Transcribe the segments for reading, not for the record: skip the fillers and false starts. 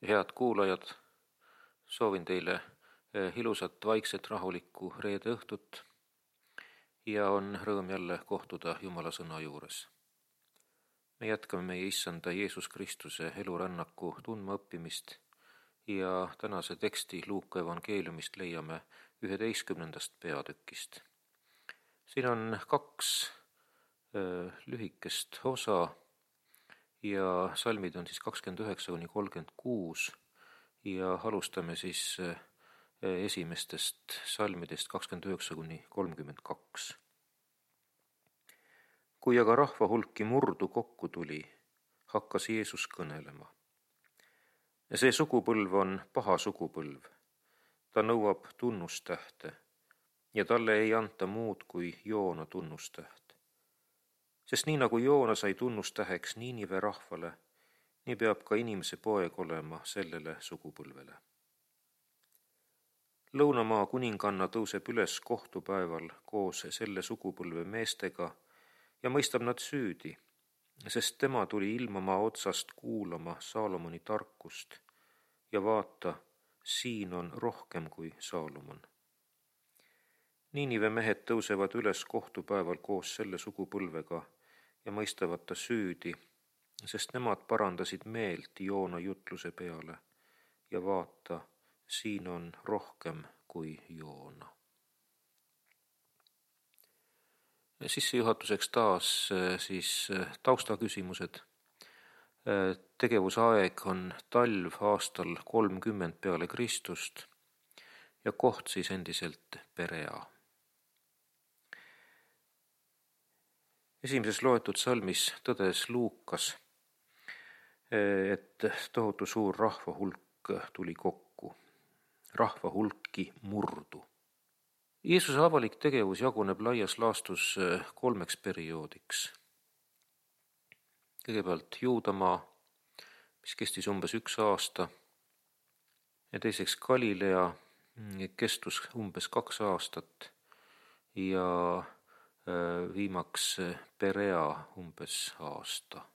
Head kuulajad, soovin teile ilusat, vaikset, rahulikku reede õhtut ja on rõõm jälle kohtuda Jumala sõna juures. Me jätkame meie Issanda Jeesus Kristuse elurännaku tundmaõppimist ja tänase teksti Luuka evangeeliumist leiame 11. peatükist. Siin on 2 lühikest osa ja salmid on 29-36 ja alustame esimestest salmidest 29-32. Kui aga rahva hulki murdu kokku tuli, hakkas Jeesus kõnelema. See sugupõlv on paha sugupõlv. Ta nõuab tunnustähte ja talle ei anta muud kui Joona tunnustäht. Sest nii nagu Joona sai tunnustäheks Niinive rahvale, nii peab ka inimese poeg olema sellele sugupõlvele. Lõunamaa kuninganna tõuseb üles kohtupäeval koos selle sugupõlve meestega ja mõistab nad süüdi, sest tema tuli ilmamaa otsast kuulama Saalomoni tarkust ja vaata, siin on rohkem kui Saalomon. Niinive mehed tõusevad üles kohtupäeval koos selle sugupõlvega ja mõistavad ta süüdi, sest nemad parandasid meelt Joona jutluse peale ja vaata, siin on rohkem kui Joona. Sissejuhatuseks taas taustaküsimused. Tegevusaeg on talv aastal 30 peale Kristust ja koht endiselt Perea. Esimeses loetud salmis tõdes Luukas, et tohutu suur rahvahulk tuli kokku. Rahvahulki murdu. Jeesuse avalik tegevus jaguneb laias laastus 3 perioodiks. Kõigepealt Juudamaa, mis kestis umbes 1 aasta, ja teiseks Galilea, kestus umbes 2 aastat ja viimaks Perea umbes aasta.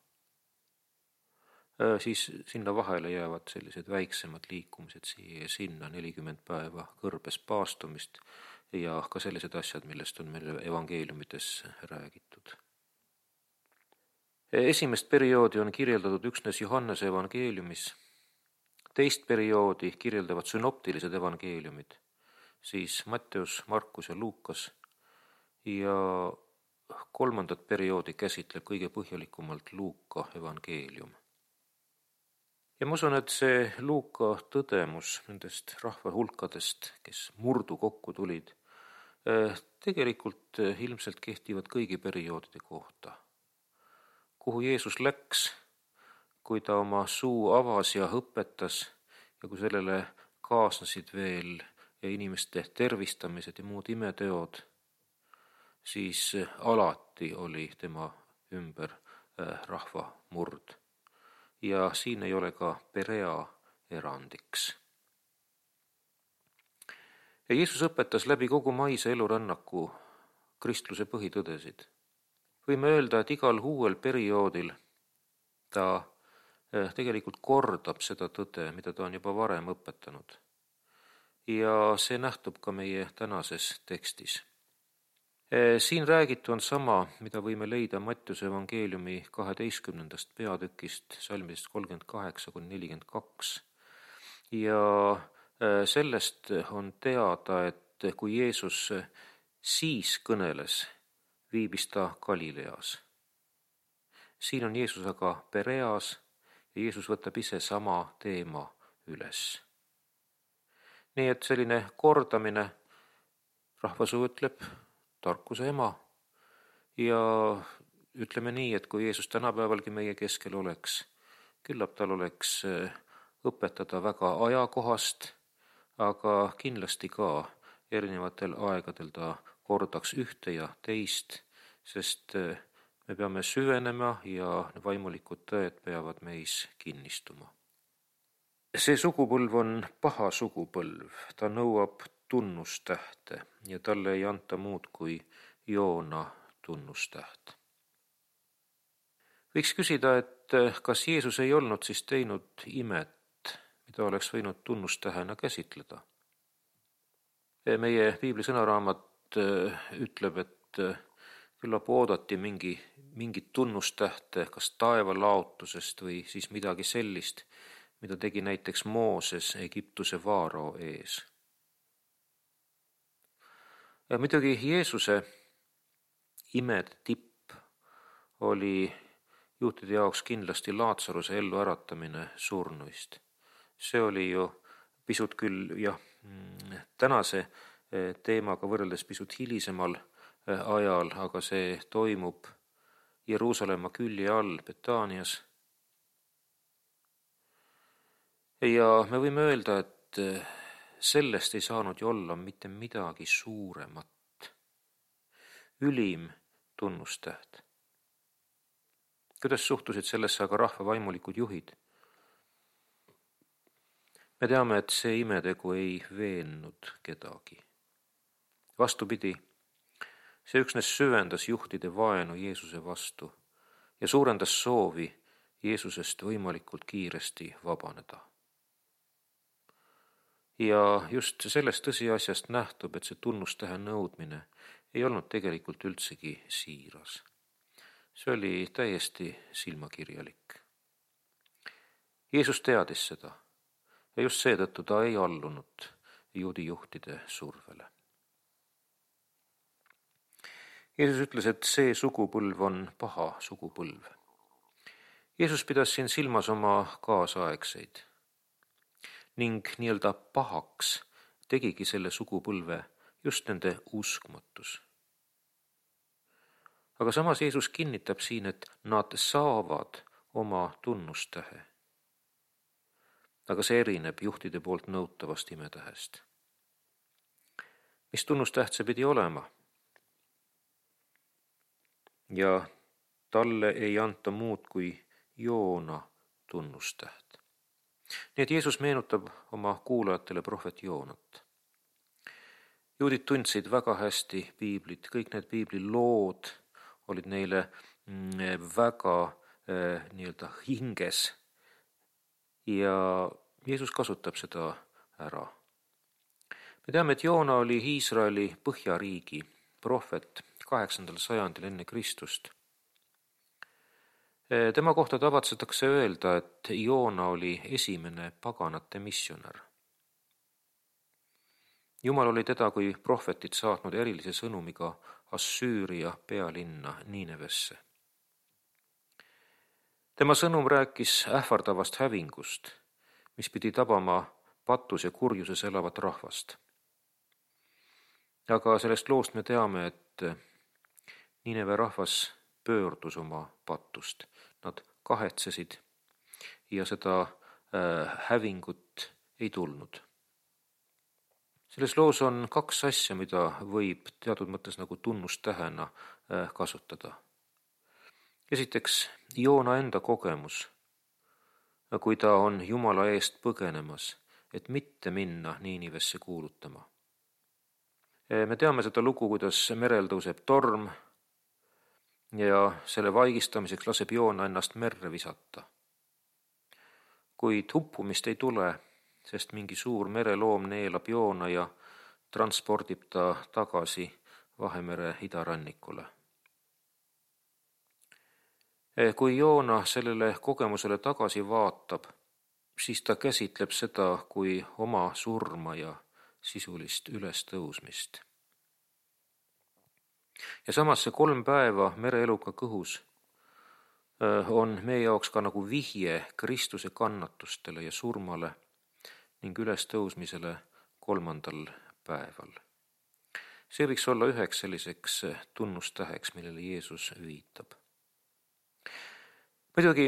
Siis sinna vahele jäävad sellised väiksemad liikumised siia ja sinna, 40 päeva kõrbes paastumist ja ka sellised asjad, millest on meil evangeeliumites räägitud. Esimest perioodi on kirjeldatud üksnes Johannese evangeeliumis. Teist perioodi kirjeldavad synoptilised evangeeliumid, siis Matteus, Markus ja Luukas, ja 3. perioodi käsitleb kõige põhjalikumalt Luuka evangeelium. Ja ma usun, et see Luuka tõdemus nendest rahvahulkadest, kes murdu kokku tulid, tegelikult ilmselt kehtivad kõigi perioodide kohta. Kuhu Jeesus läks, kui ta oma suu avas ja õpetas ja kui sellele kaasnesid veel inimeste tervistamised ja muud imeteod, siis alati oli tema ümber rahvamurd. Ja siin ei ole ka Perea erandiks. Ja Jeesus õpetas läbi kogu maise elurännaku kristluse põhitõdesid. Võime öelda, et igal uuel perioodil ta tegelikult kordab seda tõde, mida ta on juba varem õpetanud. Ja see nähtub ka meie tänases tekstis. Siin räägitu on sama, mida võime leida Mattiuse evangeeliumi 12. peatükist, salmidest 38-42. Ja sellest on teada, et kui Jeesus siis kõneles, viibis ta Galileas. Siin on Jeesus aga Pereas ja Jeesus võtab ise sama teema üles. Nii et selline kordamine, rahvasuu ütleb, tarkuse ema, ja ütleme nii, et kui Jeesus tänapäevalgi meie keskel oleks, küllap tal oleks õpetada väga ajakohast, aga kindlasti ka erinevatel aegadel ta kordaks ühte ja teist, sest me peame süvenema ja vaimulikud tõed peavad meis kinnistuma. See sugupõlv on paha sugupõlv, ta nõuab tunnustähte ja talle ei anta muud kui Joona tunnustäht. Võiks küsida, et kas Jeesus ei olnud siis teinud imet, mida oleks võinud tunnustähena käsitleda. Meie piibli sõnaraamat ütleb, et küllap oodati mingit tunnustähte kas taevalaotusest või siis midagi sellist, mida tegi näiteks Mooses Egiptuse vaarao ees. Ja muidugi Jeesuse imede tipp oli juutide jaoks kindlasti Laatsaruse elluäratamine surnuist. See oli ju pisut küll tänase teemaga võrreldes pisut hilisemal ajal, aga see toimub Jeruusalemma külje all Betaanias. Ja me võime öelda, et sellest ei saanud ju olla mitte midagi suuremat. Ülim tunnustäht. Kuidas suhtusid sellesse aga rahva vaimulikud juhid? Me teame, et see imetegu ei veennud kedagi. Vastupidi, see üksnes süvendas juhtide vaenu Jeesuse vastu ja suurendas soovi Jeesusest võimalikult kiiresti vabaneda. Ja just sellest tõsiasjast nähtub, et see tunnustähe nõudmine ei olnud tegelikult üldsegi siiras. See oli täiesti silmakirjalik. Jeesus teadis seda ja just seetõttu ta ei allunud juudi juhtide survele. Jeesus ütles, et see sugupõlv on paha sugupõlv. Jeesus pidas siin silmas oma kaasaegseid ning nii-öelda pahaks tegigi selle sugupõlve just nende uskmatus. Aga samas Jeesus kinnitab siin, et nad saavad oma tunnustähe. Aga see erineb juhtide poolt nõutavast imetähest. Mis tunnustäht see pidi olema? Ja talle ei anta muud kui Joona tunnustäht. Nii et Jeesus meenutab oma kuulajatele prohvet Joonat. Juudid tundsid väga hästi piiblit, kõik need piibli lood olid neile väga nii-öelda hinges ja Jeesus kasutab seda ära. Me teame, et Joona oli Iisraeli põhjariigi prohvet 8. sajandil enne Kristust. Tema kohta tavatsetakse öelda, et Joona oli esimene paganate missionär. Jumal oli teda kui prohvetit saatnud erilise sõnumiga Assüüria pealinna Niinevesse. Tema sõnum rääkis ähvardavast hävingust, mis pidi tabama patus ja kurjuses elavat rahvast. Aga sellest loost me teame, et Niineve rahvas pöördus oma patust. Nad kahetsesid ja seda hävingut ei tulnud. Selles loos on kaks asja, mida võib teatud mõttes nagu tunnustähena kasutada. Esiteks, Joona enda kogemus, kui ta on Jumala eest põgenemas, et mitte minna Niinivesse kuulutama. Me teame seda lugu, kuidas merel tõuseb torm ja selle vaigistamiseks laseb Joona ennast merre visata. Kuid uppumist ei tule, sest mingi suur mereloom neelab Joona ja transpordib ta tagasi Vahemere idarannikule. Kui Joona sellele kogemusele tagasi vaatab, siis ta käsitleb seda kui oma surma ja sisulist ülestõusmist. Ja samas see 3 päeva mereeluga kõhus on meie jaoks ka nagu vihje Kristuse kannatustele ja surmale ning ülestõusmisele 3. päeval. See võiks olla üheks selliseks tunnustäheks, millele Jeesus viitab. Muidugi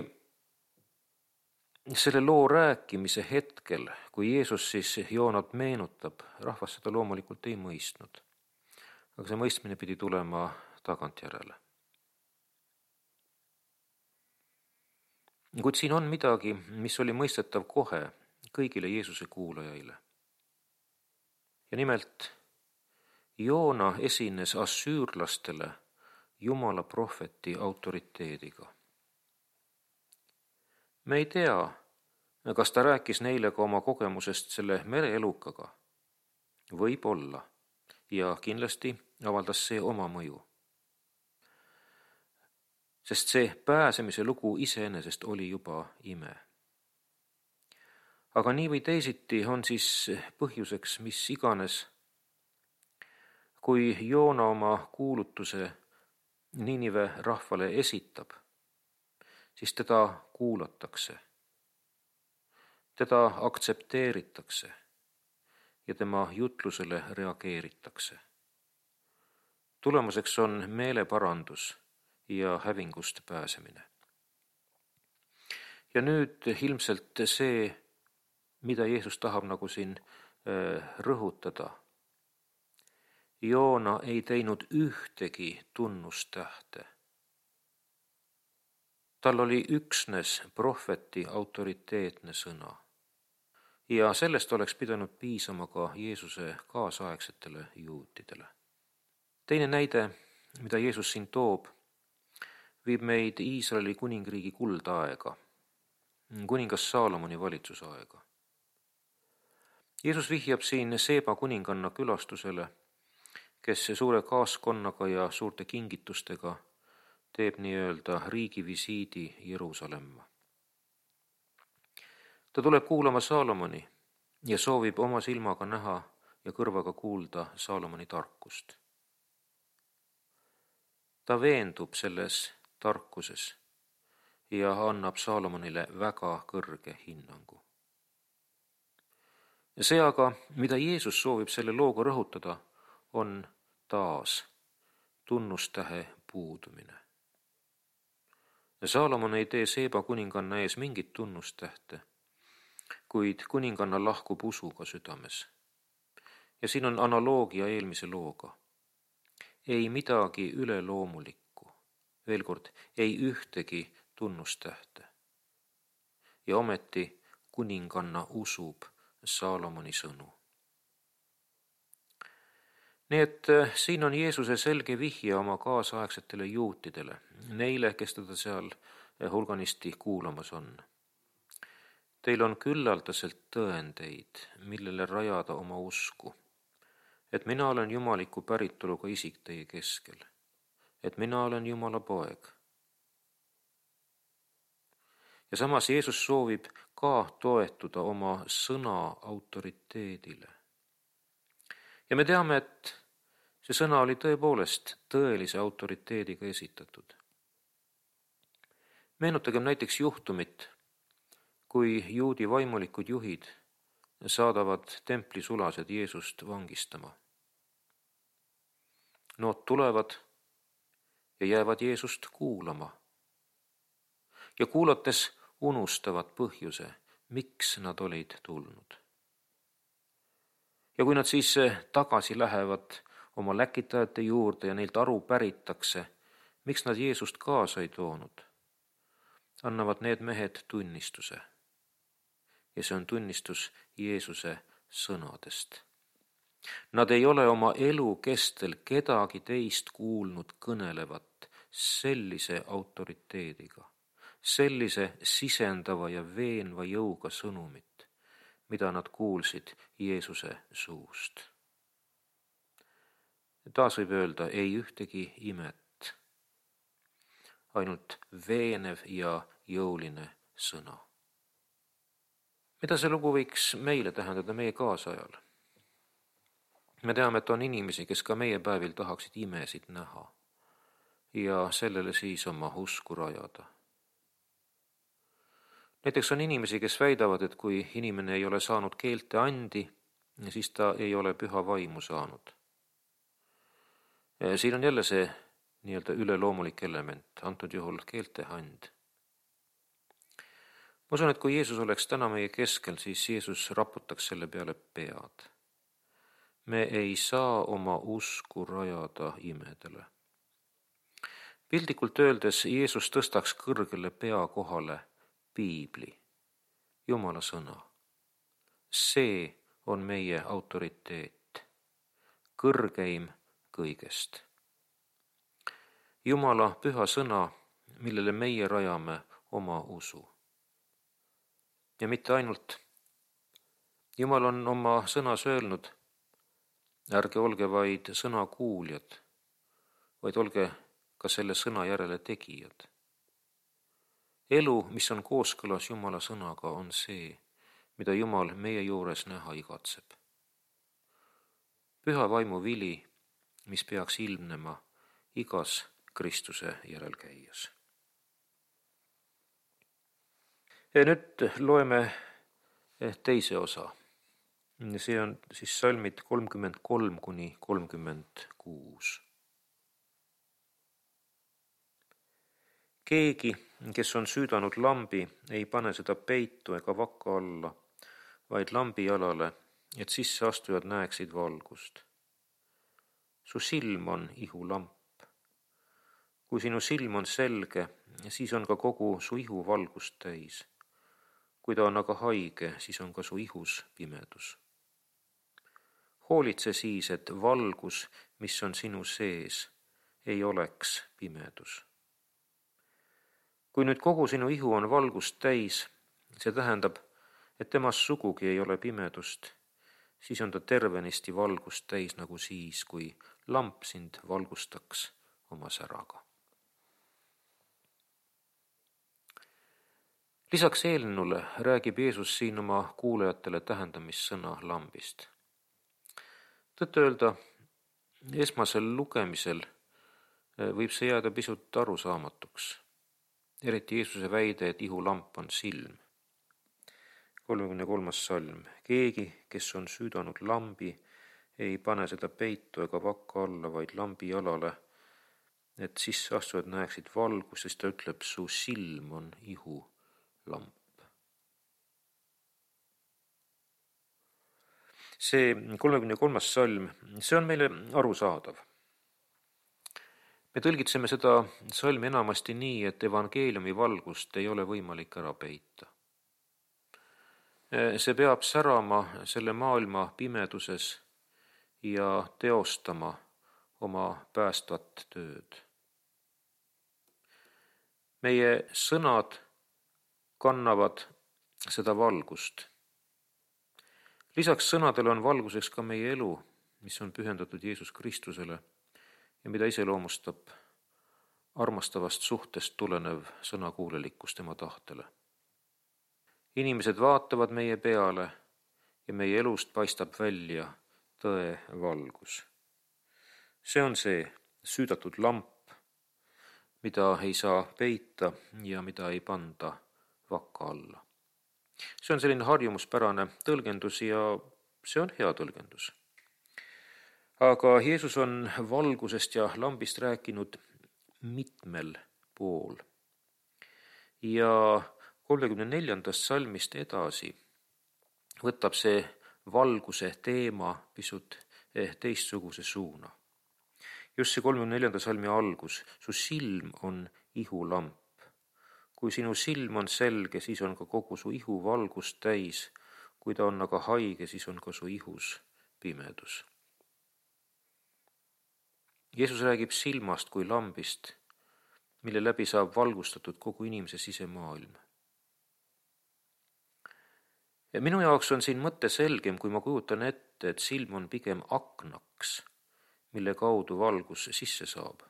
selle loo rääkimise hetkel, kui Jeesus siis Joonat meenutab, rahvas seda loomulikult ei mõistnud. Aga see mõistmine pidi tulema tagantjärele. Kuid siin on midagi, mis oli mõistetav kohe kõigile Jeesuse kuulajaile. Ja nimelt, Joona esines assüürlastele Jumala prohveti autoriteediga. Me ei tea, Kas ta rääkis neile ka oma kogemusest selle mereelukaga? Võib-olla. Ja kindlasti avaldas see oma mõju. Sest see pääsemise lugu iseenesest oli juba ime. Aga nii või teisiti on siis põhjuseks mis iganes, kui Joona oma kuulutuse Ninive rahvale esitab, siis teda kuulatakse, teda aktsepteeritakse ja tema jutlusele reageeritakse. Tulemuseks on meeleparandus ja hävingust pääsemine. Ja nüüd ilmselt see, mida Jeesus tahab nagu siin rõhutada. Joona ei teinud ühtegi tunnustähte. Tal oli üksnes prohveti autoriteetne sõna. Ja sellest oleks pidanud piisama ka Jeesuse kaasaegsetele juutidele. Teine näide, mida Jeesus siin toob, viib meid Iisraeli kuningriigi kuldaega, kuningas Saalomoni valitsusaega. Jeesus vihjab siin Seeba kuninganna külastusele, kes suure kaaskonnaga ja suurte kingitustega teeb nii-öelda riigivisiidi Jeruusalemma. Ta tuleb kuulama Saalomoni ja soovib oma silmaga näha ja kõrvaga kuulda Saalomoni tarkust. Ta veendub selles tarkuses ja annab Saalomonile väga kõrge hinnangu. Ja see aga, mida Jeesus soovib selle looga rõhutada, on taas tunnustähe puudumine. Ja Saalomon ei tee Seeba kuninganna ees mingit tunnustähte, kuid kuninganna lahkub usuga südames. Ja siin on analoogia eelmise looga. Ei midagi üleloomulikku, veel kord, ei ühtegi tunnustähte. Ja ometi kuninganna usub Saalomoni sõnu. Nii et siin on Jeesuse selge vihje oma kaasaegsetele juutidele, neile, kes teda seal hulganisti kuulamas on. Teil on küllaldaselt tõendeid, millele rajada oma usku, et mina olen jumaliku päritoluga isik teie keskel, et mina olen Jumala poeg. Ja samas Jeesus soovib ka toetuda oma sõna autoriteedile. Ja me teame, et see sõna oli tõepoolest tõelise autoriteediga esitatud. Meenutagem näiteks juhtumit, kui juudi vaimulikud juhid saadavad templisulased Jeesust vangistama. Nood tulevad ja jäävad Jeesust kuulama. Ja kuulates unustavad põhjuse, miks nad olid tulnud. Ja kui nad siis tagasi lähevad oma läkitajate juurde ja neilt aru päritakse, miks nad Jeesust kaasa ei toonud, annavad need mehed tunnistuse. Ja see on tunnistus Jeesuse sõnadest. Nad ei ole oma elu kestel kedagi teist kuulnud kõnelevat sellise autoriteediga, sellise sisendava ja veenva jõuga sõnumit, mida nad kuulsid Jeesuse suust. Taas võib öelda, ei ühtegi imet, ainult veenev ja jõuline sõna. Mida see lugu võiks meile tähendada meie kaasajal? Me teame, et on inimesi, kes ka meie päevil tahaksid imesid näha ja sellele siis oma usku rajada. Näiteks on inimesi, kes väidavad, et kui inimene ei ole saanud keelte andi, siis ta ei ole püha vaimu saanud. Siin on jälle see nii-öelda üleloomulik element, antud juhul keelte and. Ma usun, et kui Jeesus oleks täna meie keskel, siis Jeesus raputaks selle peale pead. Me ei saa oma usku rajada imedele. Pildikult öeldes Jeesus tõstaks kõrgele pea kohale Piibli, Jumala sõna. See on meie autoriteet, kõrgeim kõigest. Jumala püha sõna, millele meie rajame oma usu. Ja mitte ainult. Jumal on oma sõnas öelnud, ärge olge vaid sõna kuuljad, vaid olge ka selle sõna järele tegijad. Elu, mis on kooskõlas Jumala sõnaga, on see, mida Jumal meie juures näha igatseb. Püha vaimu vili, mis peaks ilmnema igas Kristuse järelkäijas. Ja nüüd loeme teise osa. See on siis salmid 33–36. Keegi, kes on süüdanud lambi, ei pane seda peitu ega vakka alla, vaid lambi jalale, et sisseastujad näeksid valgust. Su silm on ihulamp. Kui sinu silm on selge, siis on ka kogu su ihu valgust täis. Kui ta on aga haige, siis on ka su ihus pimedus. Hoolitse siis, et valgus, mis on sinu sees, ei oleks pimedus. Kui nüüd kogu sinu ihu on valgust täis, see tähendab, et temas sugugi ei ole pimedust, siis on ta tervenisti valgust täis nagu siis, kui lamp sind valgustaks oma säraga. Lisaks eelnule räägib Jeesus siin oma kuulajatele tähendamissõna lambist. Tõtt öelda, esmasel lugemisel võib see jääda pisut arusaamatuks. Eriti Jeesuse väide, et ihulamp on silm. 33. salm. Keegi, kes on süüdanud lambi, ei pane seda peitu ega vakka alla, vaid lambi jalale, et sisseastujad näeksid valgust, sest ta ütleb, su silm on ihulamp. See 33. salm, see on meile arusaadav. Me tõlgitseme seda salmi enamasti nii, et evangeeliumi valgust ei ole võimalik ära peita. See peab särama selle maailma pimeduses ja teostama oma päästvat tööd. Meie sõnad kannavad seda valgust. Lisaks sõnadele on valguseks ka meie elu, mis on pühendatud Jeesus Kristusele ja mida iseloomustab armastavast suhtest tulenev sõnakuulelikkus tema tahtele. Inimesed vaatavad meie peale ja meie elust paistab välja tõe valgus. See on see süüdatud lamp, mida ei saa peita ja mida ei panda vakka alla. See on selline harjumuspärane tõlgendus ja see on hea tõlgendus. Aga Jeesus on valgusest ja lambist rääkinud mitmel pool. Ja 34. salmist edasi võtab see valguse teema pisut teistsuguse suuna. Just see 34. salmi algus, su silm on ihulamp. Kui sinu silm on selge, siis on ka kogu su ihu valgust täis. Kui ta on aga haige, siis on ka su ihus pimedus. Jeesus räägib silmast kui lambist, mille läbi saab valgustatud kogu inimese sisemaailm. Ja minu jaoks on siin mõte selgem, kui ma kujutan ette, et silm on pigem aknaks, mille kaudu valgus sisse saab.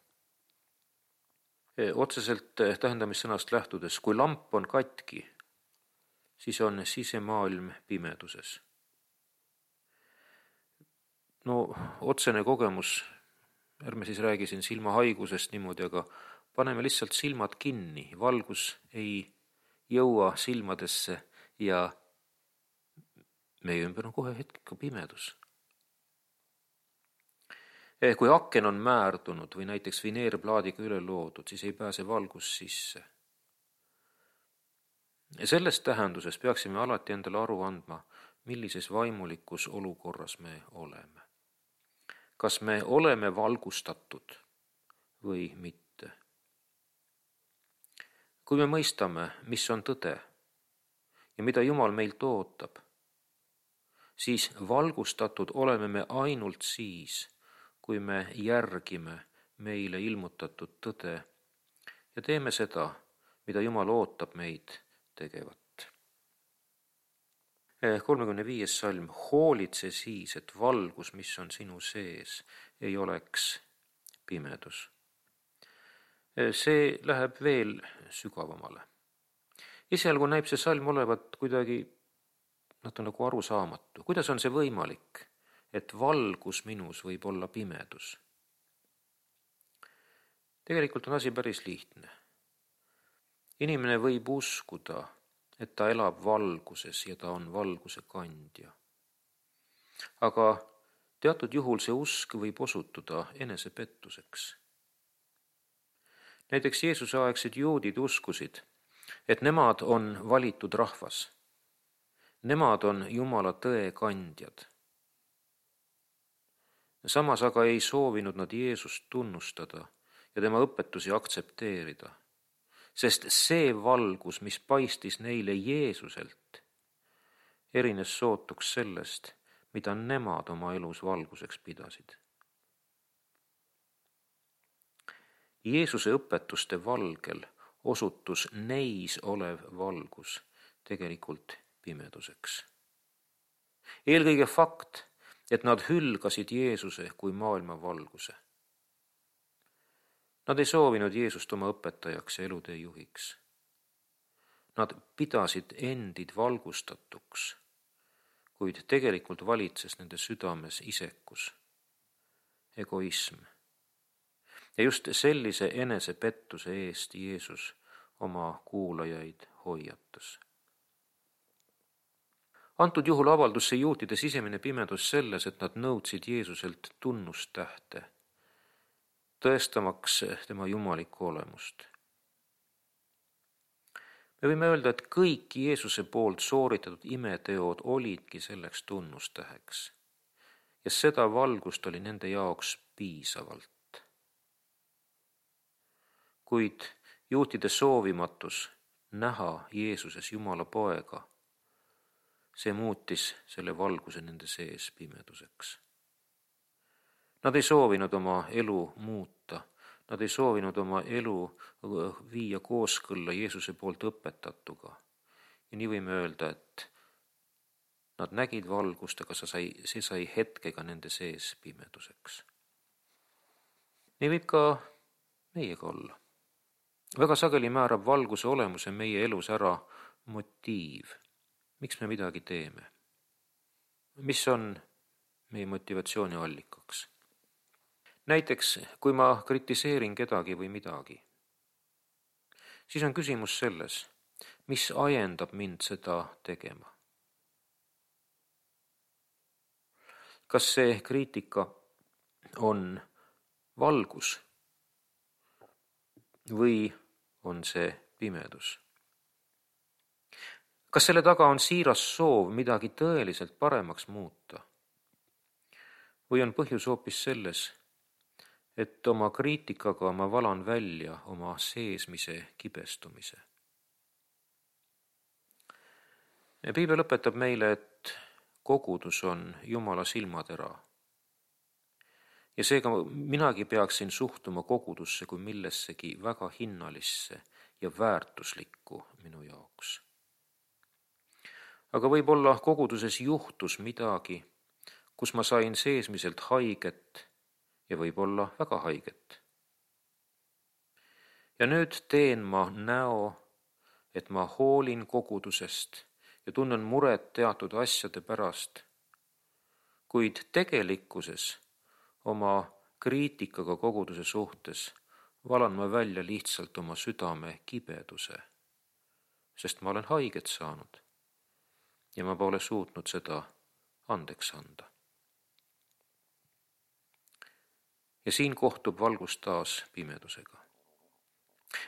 Otseselt tähendamissõnast lähtudes, kui lamp on katki, siis on sisemaailm pimeduses. No otsene kogemus, ärme siis räägi siin silmahaigusest niimoodi, aga paneme lihtsalt silmad kinni, valgus ei jõua silmadesse ja meie ümber on kohe hetkega pimedus. Kui aken on määrdunud või näiteks vineerplaadiga üle loodud, siis ei pääse valgus sisse. Selles tähenduses peaksime alati endale aru andma, millises vaimulikus olukorras me oleme. Kas me oleme valgustatud või mitte? Kui me mõistame, mis on tõde ja mida Jumal meilt ootab, siis valgustatud oleme me ainult siis, kui me järgime meile ilmutatud tõde ja teeme seda, mida Jumal ootab meid tegevat. 35. salm, hoolitse siis, et valgus, mis on sinu sees, ei oleks pimedus. See läheb veel sügavamale. Esialgu näib see salm olevat kuidagi nagu arusaamatu. Kuidas on see võimalik, et valgus minus võib olla pimedus? Tegelikult on asi päris lihtne. Inimene võib uskuda, et ta elab valguses ja ta on valguse kandja. Aga teatud juhul see usk võib osutuda enesepettuseks. Näiteks Jeesuse aegsed juudid uskusid, et nemad on valitud rahvas. Nemad on Jumala tõe kandjad. Samas aga ei soovinud nad Jeesust tunnustada ja tema õpetusi aktsepteerida, sest see valgus, mis paistis neile Jeesuselt, erines sootuks sellest, mida nemad oma elus valguseks pidasid. Jeesuse õpetuste valgel osutus neis olev valgus tegelikult pimeduseks. Eelkõige fakt, et nad hülgasid Jeesuse kui maailma valguse. Nad ei soovinud Jeesust oma õpetajaks ja elutee juhiks. Nad pidasid endid valgustatuks, kuid tegelikult valitses nende südames isekus, egoism. Ja just sellise enesepettuse eest Jeesus oma kuulajaid hoiatas. Antud juhul avaldus see juutide sisemine pimedus selles, et nad nõudsid Jeesuselt tunnustähte, tõestamaks tema jumalikku olemust. Me võime öelda, et kõik Jeesuse poolt sooritatud imeteod olidki selleks tunnustäheks ja seda valgust oli nende jaoks piisavalt. Kuid juutide soovimatus näha Jeesuses Jumala poega, see muutis selle valguse nende sees pimeduseks. Nad ei soovinud oma elu muuta, nad ei soovinud oma elu viia kooskõlla Jeesuse poolt õpetatuga. Ja nii võime öelda, et nad nägid valgust, aga see sai hetkega nende sees pimeduseks. Nii võib ka meiega olla. Väga sageli määrab valguse olemuse meie elus ära motiiv. Miks me midagi teeme? Mis on meie motivatsiooni allikaks? Näiteks, kui ma kritiseerin kedagi või midagi, siis on küsimus selles, mis ajendab mind seda tegema. Kas see kriitika on valgus või on see pimedus? Kas selle taga on siiras soov midagi tõeliselt paremaks muuta? Või on põhjus hoopis selles, et oma kriitikaga ma valan välja oma seesmise kibestumise? Piibel õpetab meile, et kogudus on Jumala silmatera. Ja seega minagi peaksin suhtuma kogudusse kui millessegi väga hinnalisse ja väärtuslikku minu jaoks. Aga võib-olla koguduses juhtus midagi, kus ma sain seesmiselt haiget ja võib-olla väga haiget. Ja nüüd teen ma näo, et ma hoolin kogudusest ja tunnen muret teatud asjade pärast, kuid tegelikkuses oma kriitikaga koguduse suhtes valan ma välja lihtsalt oma südame kibeduse, sest ma olen haiget saanud ja ma pole suutnud seda andeks anda. Ja siin kohtub valgus taas pimedusega.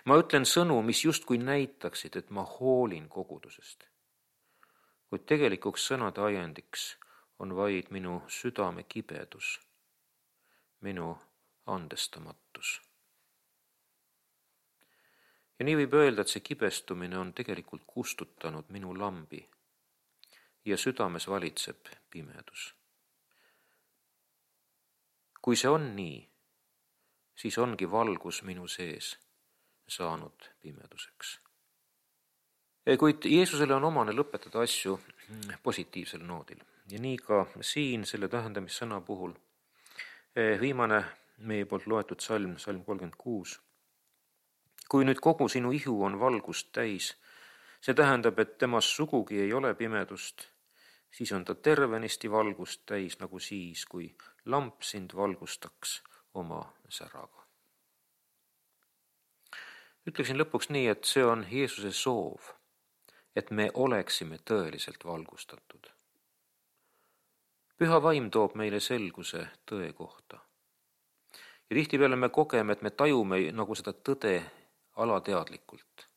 Ma ütlen sõnu, mis justkui näitaksid, et ma hoolin kogudusest, kuid tegelikuks sõnade ajendiks on vaid minu südame kibedus, minu andestamatus. Ja nii võib öelda, et see kibestumine on tegelikult kustutanud minu lambi ja südames valitseb pimedus. Kui see on nii, siis ongi valgus minu sees saanud pimeduseks. Kuid Jeesusele on omane lõpetada asju positiivsel noodil ja nii ka siin selle tähendamissõna puhul. Viimane meie poolt loetud salm 36. Kui nüüd kogu sinu ihu on valgust täis, see tähendab, et temas sugugi ei ole pimedust, siis on ta tervenisti valgust täis nagu siis, kui lamp sind valgustaks oma säraga. Ütleksin lõpuks nii, et see on Jeesuse soov, et me oleksime tõeliselt valgustatud. Püha vaim toob meile selguse tõe kohta. Ja tihtipeale me kogeme, et me tajume nagu seda tõde alateadlikult.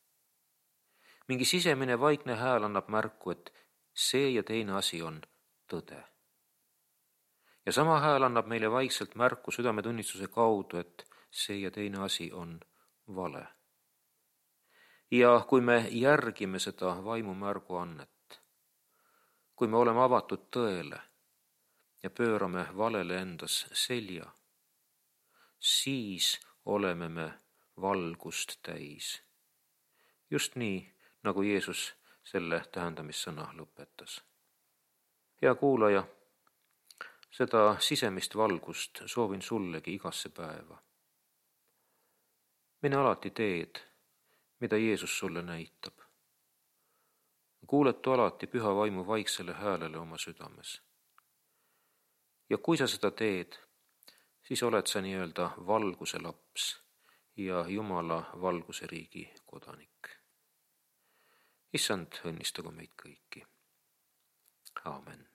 Mingi sisemine vaikne hääl annab märku, et see ja teine asi on tõde. Ja sama hääl annab meile vaikselt märku südametunnistuse kaudu, et see ja teine asi on vale. Ja kui me järgime seda vaimu märguannet, kui me oleme avatud tõele ja pöörame valele endas selja, siis oleme me valgust täis. Just nii, nagu Jeesus selle tähendamissõna lõpetas. Hea kuulaja, seda sisemist valgust soovin sullegi igasse päeva. Mine alati teed, mida Jeesus sulle näitab. Kuuletu alati püha vaimu vaiksele häälele oma südames. Ja kui sa seda teed, siis oled sa nii-öelda valguse laps ja Jumala valguse riigi kodanik. Issand õnnistagu meid kõiki. Aamen.